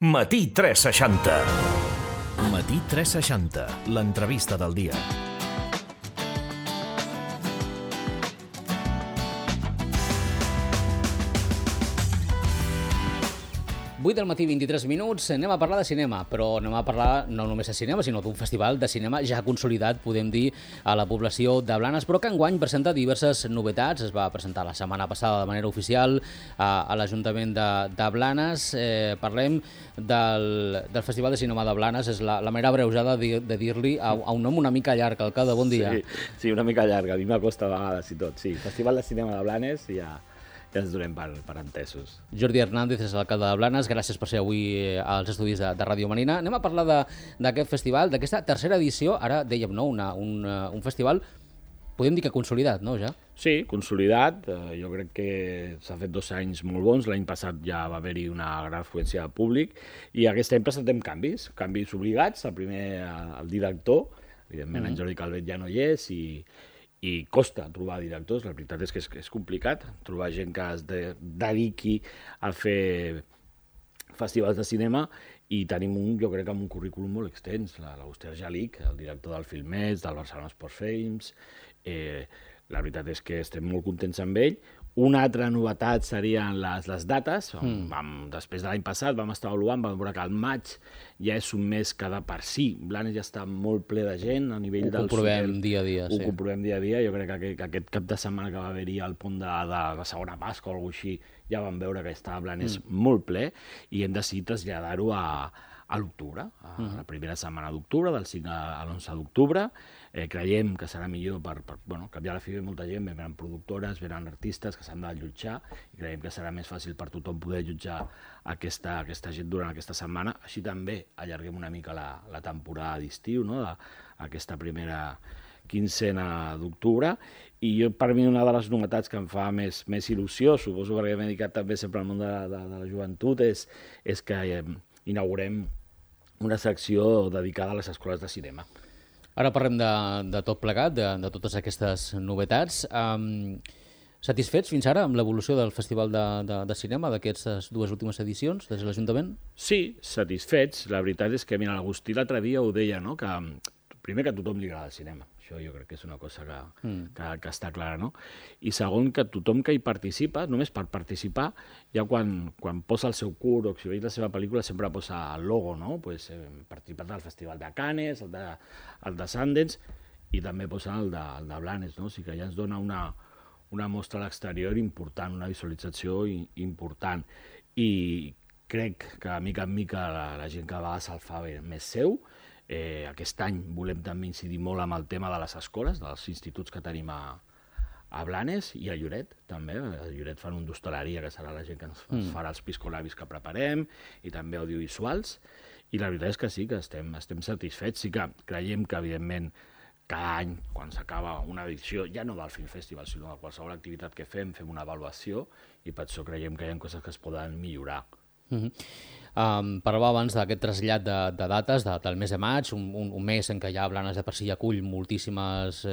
Matí 360. Matí 360, l'entrevista del dia. Vuit del matí, 23 minuts, anem a parlar de cinema, però anem a parlar no només de cinema, sinó d'un festival de cinema ja consolidat, podem dir, a la població de Blanes, però que enguany presenta diverses novetats. Es va presentar la setmana passada de manera oficial a l'Ajuntament de Blanes. Parlem del Festival de Cinema de Blanes, és la manera abreujada de dir-li a un nom una mica llarg. Alcalde, bon dia. Sí, una mica llarga, a mi m'acosta a vegades i tot. Sí, Festival de Cinema de Blanes i ja ens donem per entesos. Jordi Hernández és l'alcalde de Blanes, gràcies per ser avui als estudis de Ràdio Marina. Anem a parlar d'aquest festival, d'aquesta tercera edició, ara dèiem, no, un festival, podem dir que consolidat, no, ja? Sí, consolidat, jo crec que s'ha fet 2 anys molt bons, l'any passat ja va haver-hi una gran afluència de públic i aquest any presentem canvis obligats, el primer el director, evidentment en Jordi Calvet ja no hi és i costa trobar directors, la veritat és que és complicat trobar gent que es dediqui a fer festivals de cinema i tenim jo crec, amb un currículum molt extens, l'Auster Jalic, el director del Filmets, del Barcelona Sports Films, la veritat és que estem molt contents amb ell. Una altra novetat serien les dates. Després de l'any passat vam estar avaluant, vam veure que el maig ja és un mes que de per si. Blanes ja està molt ple de gent a nivell del... Ho comprovem dia a dia, sí. Ho comprovem dia a dia. Jo crec que aquest cap de setmana que va haver-hi al pont de la segona Pasqua o alguna cosa així, ja vam veure que estava Blanes molt ple i hem decidit traslladar-ho a l'octubre, a la primera setmana d'octubre, del 5 a l'11 d'octubre. Creiem que serà millor per canviar la fi de molta gent, venen productores, venen artistes que s'han d'allotjar i creiem que serà més fàcil per tothom poder allotjar aquesta gent durant aquesta setmana. Així també allarguem una mica la temporada d'estiu, no? Aquesta primera quincena d'octubre, i per mi una de les novetats que em fa més il·lusió, suposo perquè m'he dedicat també sempre al món de la joventut, és que inaugurem una secció dedicada a les escoles de cinema. Ara parlem de tot plegat, de totes aquestes novetats. Satisfets fins ara amb l'evolució del Festival de Cinema d'aquestes 2 últimes edicions des de l'Ajuntament? Sí, satisfets. La veritat és que, mira, l'Agustí l'altre dia ho deia, no? Que primer que a tothom li agrada el cinema. Això jo crec que és una cosa que està clara, no? I segon, que tothom que hi participa, només per participar, ja quan posa el seu curt o exhibeix la seva pel·lícula sempre posa el logo, no? Pues, hem participat del Festival de Cannes, el de Sundance, i també posa el de Blanes, no? O sigui que ja ens dona una mostra a l'exterior important, una visualització important. I crec que, mica en mica, la gent que a vegades el fa més seu. Aquest any volem també incidir molt amb el tema de les escoles, dels instituts que tenim a Blanes i a Lloret, també. A Lloret fan un d'hostaleria, que serà la gent que ens farà els piscolabis que preparem, i també audiovisuals. I la veritat és que sí, que estem satisfets. Sí que creiem que, evidentment, cada any, quan s'acaba una edició, ja no del Film Festival, sinó de qualsevol activitat que fem una avaluació, i per això creiem que hi ha coses que es poden millorar. Parlava abans d'aquest trasllat de dates del mes de maig, un mes en què ja Blanes de per si acull moltíssimes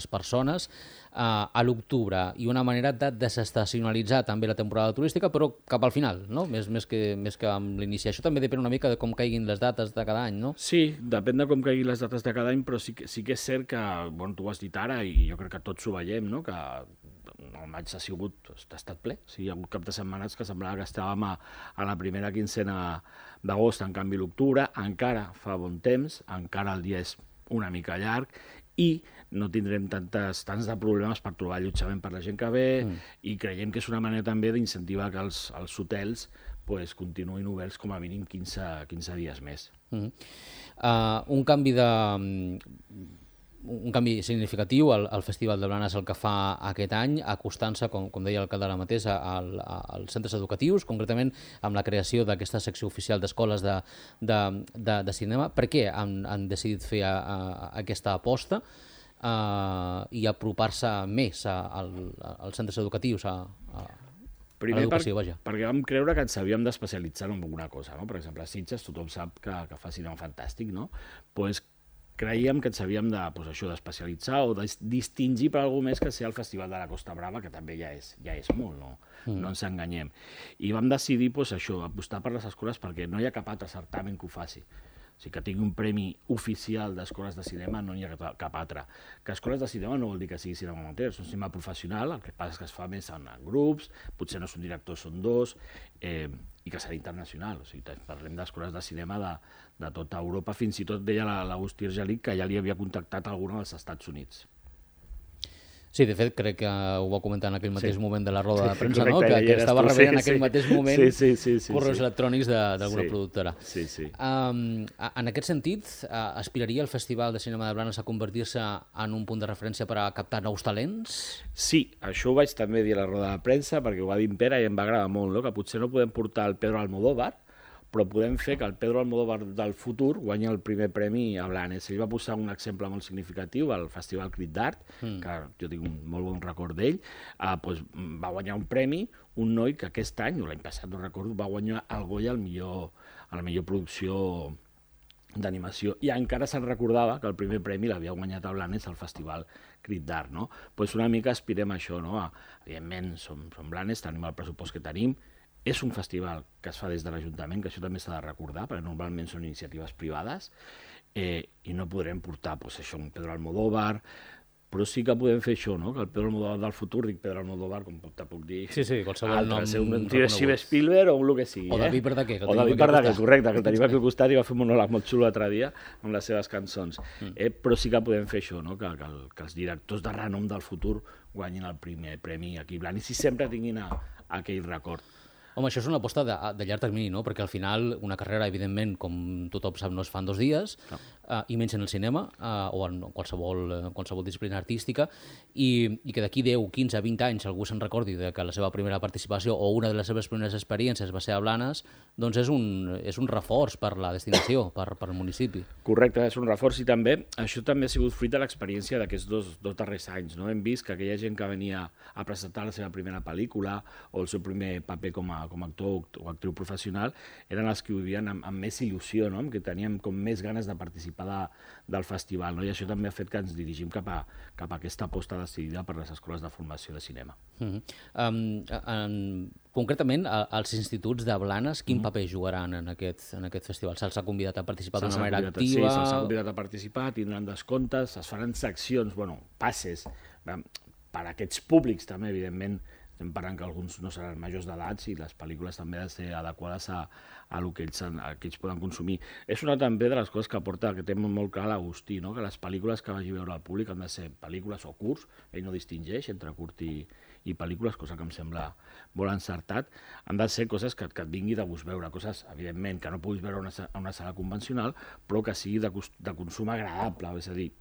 persones, a l'octubre, i una manera de desestacionalitzar també la temporada turística, però cap al final, no? Més que amb l'inici. Això també depèn una mica de com caiguin les dates de cada any, no? Sí, depèn de com caiguin les dates de cada any, però sí que és cert que, tu ho has dit ara, i jo crec que tots ho veiem, no? Que el maig ha estat ple. O sigui, hi ha hagut cap de setmanes que semblava que estàvem a la primera quincena d'agost, en canvi l'octubre encara fa bon temps, encara el dia és una mica llarg i no tindrem tants de problemes per trobar allotjament per la gent que ve i creiem que és una manera també d'incentivar que els hotels continuïn oberts com a mínim 15 dies més. Un canvi significatiu al Festival de Blanes el que fa aquest any, acostant-se, com deia l'alcalde ara mateix, als centres educatius, concretament amb la creació d'aquesta secció oficial d'escoles de cinema. Per què han decidit fer aquesta aposta i apropar-se més als centres educatius, a l'educació, vaja? Perquè vam creure que ens havíem d'especialitzar en alguna cosa, no? Per exemple, a Sitges tothom sap que fa cinema fantàstic, no? creiem que ens havíem d'especialitzar o de distingir per alguna més que ser el Festival de la Costa Brava, que també ja és molt, no ens enganyem. I vam decidir apostar per les escoles perquè no hi ha cap altre certamen que ho faci. O sigui, que tingui un premi oficial d'escoles de cinema no hi ha cap altre. Que escoles de cinema no vol dir que sigui cinema amateur, és un cinema professional, el que passa és que es fa més en grups, potser no és un director, són dos, i que serà internacional. O sigui, parlem d'escoles de cinema de tota Europa, fins i tot deia l'Agustí Argelic que ja li havia contactat alguna dels Estats Units. Sí, de fet, crec que ho va comentar en aquell mateix moment de la roda de premsa, no? Que estava rebent en aquell mateix moment correus electrònics d'alguna productora. Sí. En aquest sentit, aspiraria el Festival de Cinema de Blanes a convertir-se en un punt de referència per a captar nous talents? Sí, això ho vaig també dir a la roda de premsa, perquè ho va dir en Pere i em va agradar molt, no? Que potser no podem portar el Pedro Almodóvar, però podem fer que el Pedro Almodóvar del futur guanyi el primer premi a Blanes. Ell va posar un exemple molt significatiu al Festival Crit d'Art, que jo tinc un molt bon record d'ell, va guanyar un premi, un noi que aquest any, o l'any passat, no recordo, va guanyar el Goya a la millor producció d'animació, i encara se'n recordava que el primer premi l'havia guanyat a Blanes al Festival Crit d'Art, no? Pues una mica aspirem a això, no? Evidentment, som Blanes, tenim el pressupost que tenim, és un festival que es fa des de l'Ajuntament, que això també s'ha de recordar, perquè normalment són iniciatives privades, i no podrem portar un Pedro Almodóvar, però sí que podem fer això, no? Que el Pedro Almodóvar del futur, dic Pedro Almodóvar, com te puc dir... Sí, qualsevol nom reconegut. Steven Spielberg o el que sigui. O David Verdaguer. O David Verdaguer, correcte, que el tenim aquí al costat i va fer un monòleg molt xulo l'altre dia amb les seves cançons. Però sí que podem fer això, no? Que els directors de renom del futur guanyin el primer premi aquí a Blanes i sempre tinguin aquell record. Home, això és una aposta de llarg termini, no? Perquè al final una carrera, evidentment, com tothom sap, no es fa en 2 dies, i menys en el cinema o en qualsevol disciplina artística, i que d'aquí 10, 15, 20 anys algú se'n recordi que la seva primera participació o una de les seves primeres experiències va ser a Blanes, doncs és un reforç per la destinació, per el municipi. Correcte, és un reforç, i també això també ha sigut fruit de l'experiència d'aquests dos darrers anys, no? Hem vist que aquella gent que venia a presentar la seva primera pel·lícula o el seu primer paper com a actor o actriu professional eren els que ho vivien amb més il·lusió, no? Que teníem com més ganes de participar del festival, no? I això també ha fet que ens dirigim cap a aquesta aposta decidida per les escoles de formació de cinema. Concretament, els instituts de Blanes, quin paper jugaran en aquest festival? Se'ls ha convidat a participar d'una manera activa? Sí, se'ls ha convidat a participar, tindran descomptes, es faran seccions, passes, per a aquests públics també, evidentment. Estem parlant que alguns no seran majors d'edat i les pel·lícules també han de ser adequades a el que ells poden consumir. És una també de les coses que aporta, que té molt clar l'Agustí, no? Que les pel·lícules que vagi a veure el públic han de ser pel·lícules o curts, ell no distingeix entre curt i pel·lícules, cosa que em sembla molt encertat. Han de ser coses que et vingui de gust veure, coses, evidentment, que no puguis veure a una sala convencional, però que sigui de consum agradable, és a dir,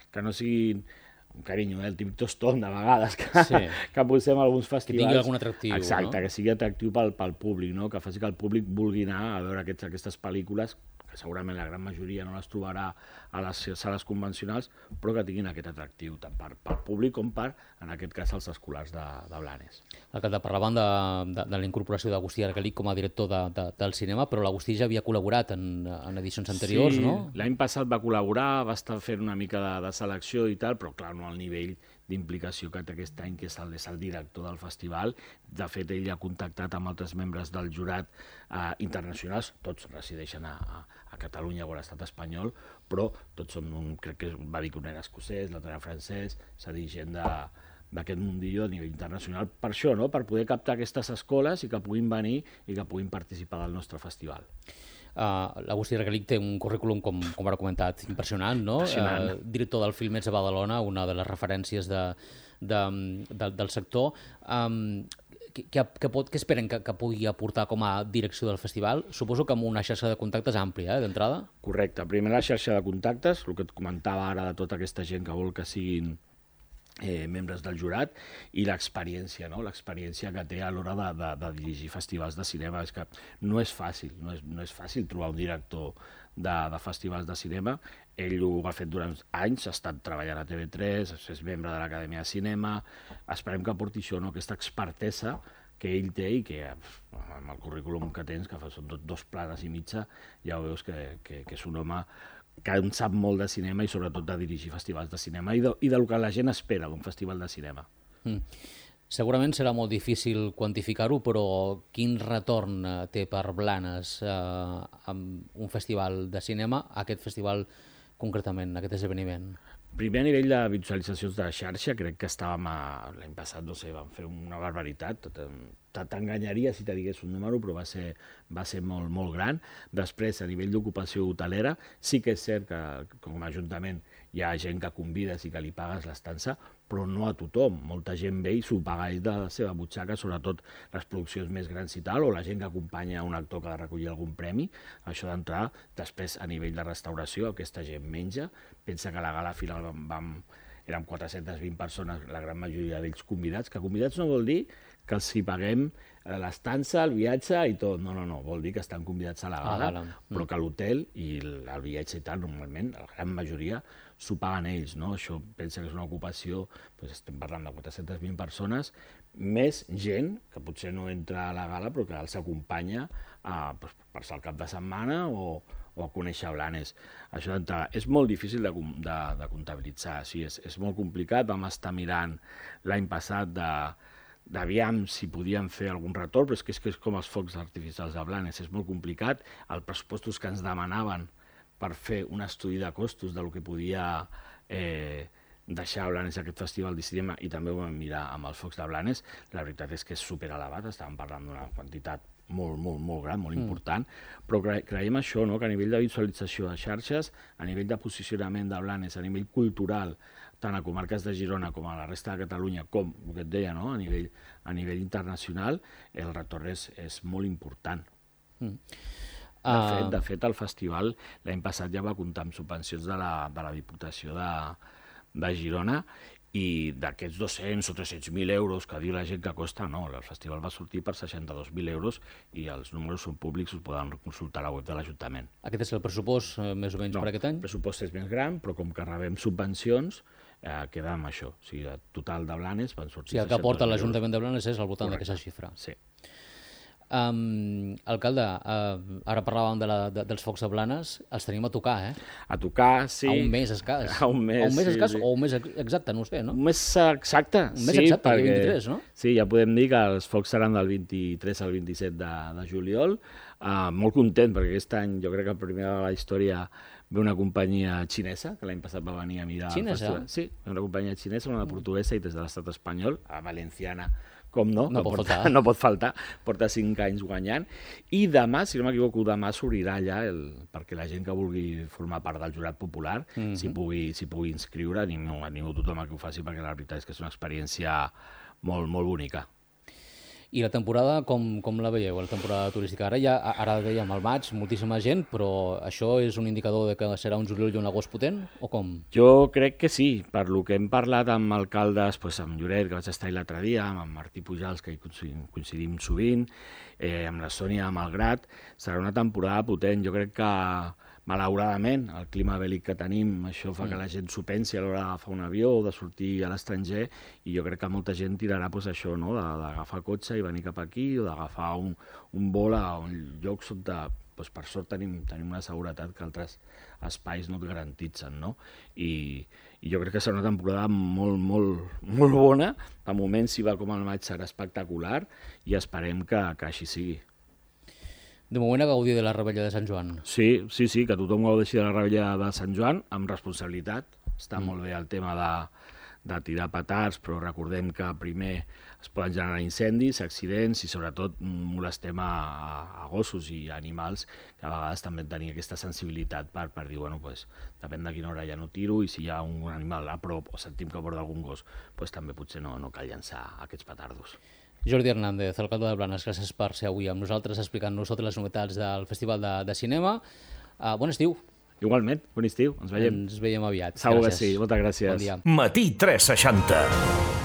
que no siguin un carinyo, el típic tostón de vegades que posem a alguns festivals. Que tingui algun atractiu. Exacte, que sigui atractiu pel públic, no? Que faci que el públic vulgui anar a veure aquestes pel·lícules, que segurament la gran majoria no les trobarà a les sales convencionals, però que tinguin aquest atractiu, tant pel públic com per, en aquest cas, els escolars de Blanes. Alcalde, parlaven de la incorporació d'Agustí Argelic com a director del cinema, però l'Agustí ja havia col·laborat en edicions anteriors, no? Sí, l'any passat va col·laborar, va estar fent una mica de selecció i tal, però clar, no al nivell d'implicació que té aquest any, que és el director del festival. De fet, ell ha contactat amb altres membres del jurat internacionals, tots resideixen a Catalunya o a l'estat espanyol, però tots són, crec que va dir que un era escocès, l'altre era francès, és a dir, gent d'aquest mundillo a nivell internacional, per això, no? Per poder captar aquestes escoles i que puguin venir i que puguin participar del nostre festival. L'Agustí Argelic té un currículum, com ara comentat, impressionant, no? Director del Filmets de Badalona, una de les referències del sector. Què esperen que pugui aportar com a direcció del festival? Suposo que amb una xarxa de contactes àmplia, d'entrada? Correcte. Primer la xarxa de contactes, el que et comentava ara de tota aquesta gent que vol que siguin membres del jurat, i l'experiència, no? L'experiència que té a l'hora de dirigir festivals de cinema. És que no és fàcil, no és fàcil trobar un director de festivals de cinema. Ell ho ha fet durant anys, ha estat treballant a TV3, és membre de l'Acadèmia de Cinema. Esperem que aporti això, no? Aquesta expertesa que ell té i que amb el currículum que tens, que són 2 planes i mitja, ja veus que és un home que en sap molt de cinema i sobretot de dirigir festivals de cinema i del que la gent espera d'un festival de cinema. Segurament serà molt difícil quantificar-ho, però quin retorn té per Blanes amb un festival de cinema, aquest festival concretament, aquest esdeveniment? Primer, a nivell de visualitzacions de la xarxa, crec que estàvem l'any passat, no sé, vam fer una barbaritat, t'enganyaria si te digués un número, però va ser molt, molt gran. Després, a nivell d'ocupació hotelera, sí que és cert que com a Ajuntament hi ha gent que convides i que li pagues l'estança, però no a tothom. Molta gent ve i s'ho paga ell de la seva butxaca, sobretot les produccions més grans i tal, o la gent que acompanya un actor que ha de recollir algun premi, això d'entrar. Després, a nivell de restauració, aquesta gent menja. Pensa que a la gala final érem 420 persones, la gran majoria d'ells convidats, que convidats no vol dir que els hi paguem l'estança, el viatge i tot. No, vol dir que estan convidats a la gala, però que l'hotel i el viatge i tal, normalment, la gran majoria s'ho paguen ells, no? Això pensa que és una ocupació, doncs estem parlant de 420 persones, més gent, que potser no entra a la gala, però que els acompanya per passar el cap de setmana o a conèixer Blanes. Això és molt difícil de comptabilitzar, sí, és molt complicat. Vam estar mirant l'any passat d'aviam si podíem fer algun retorn, però és que és com els focs artificials de Blanes, és molt complicat. Els pressupostos que ens demanaven per fer un estudi de costos del que podia deixar Blanes aquest festival de cinema, i també ho vam mirar amb els focs de Blanes, la veritat és que és superelevat, estàvem parlant d'una quantitat molt, molt, molt gran, molt important, però creiem això, no? Que a nivell de visualització de xarxes, a nivell de posicionament de Blanes, a nivell cultural, tant a comarques de Girona com a la resta de Catalunya, com el que et deia, no? a nivell internacional, el retorn és molt important. De fet, el festival l'any passat ja va comptar amb subvencions de la Diputació de Girona, i d'aquests 200 o 300.000 euros que diu la gent que costa, no, el festival va sortir per 62.000 euros i els números són públics, us poden consultar a la web de l'Ajuntament. Aquest és el pressupost més o menys per aquest any? El pressupost és més gran, però com que rebem subvencions, queda amb això. O sigui, el total de Blanes van sortir... O sigui, el que aporta l'Ajuntament de Blanes és al voltant d'aquesta xifra. Sí. Alcalde, ara parlàvem dels focs de Blanes, els tenim a tocar, A tocar, sí. A un mes escàs. A un mes escàs o un mes exacte, no ho sé, no? Un mes exacte, un mes exacte, el 23, no? Sí, ja podem dir que els focs seran del 23 al 27 de juliol. Molt content, perquè aquest any jo crec que el primer de la història ve una companyia xinesa, que l'any passat va venir a mirar el festival. Sí, una companyia xinesa, una portuguesa i des de l'estat espanyol, a Valenciana, com no, no pot faltar, porta 5 anys guanyant, i demà, si no m'equivoco, demà s'obrirà allà perquè la gent que vulgui formar part del jurat popular s'hi pugui inscriure, animo tothom a que ho faci, perquè la veritat és que és una experiència molt, molt bonica. I la temporada, com la veieu, la temporada turística? Ara dèiem al maig, moltíssima gent, però això és un indicador de que serà un juliol i un agost potent, o com? Jo crec que sí, per lo que hem parlat amb alcaldes, amb Lloret, que vaig estar l'altre dia, amb Martí Pujals, que hi coincidim sovint, amb la Sònia Malgrat, serà una temporada potent. Jo crec que, malauradament, el clima bèl·lic que tenim, això fa que la gent s'ho pensi a l'hora d'agafar un avió o de sortir a l'estranger, i jo crec que molta gent tirarà això, no? D'agafar cotxe i venir cap aquí, o d'agafar un vol a un lloc on, per sort, tenim una seguretat que altres espais no et garantitzen, no? I jo crec que serà una temporada molt, molt, molt bona. De moment, si va com el maig, serà espectacular, i esperem que així sigui. De moment a gaudir de la Rebella de Sant Joan. Sí, que tothom gaudeixi de la Rebella de Sant Joan amb responsabilitat. Està molt bé el tema de tirar petards, però recordem que primer es poden generar incendis, accidents, i sobretot molestem a gossos i animals, que a vegades també tenir aquesta sensibilitat per dir, depèn de quina hora ja no tiro, i si hi ha un animal a prop o sentim que porta algun gos, també potser no cal llançar aquests petardos. Jordi Hernández, alcalde de Blanes, gràcies per ser avui amb nosaltres explicant-nos totes les novetats del Festival de Cinema. Bon estiu. Igualment, bon estiu, ens veiem. Ens veiem aviat. Segur que sí, moltes gràcies. Bon dia. Matí 360.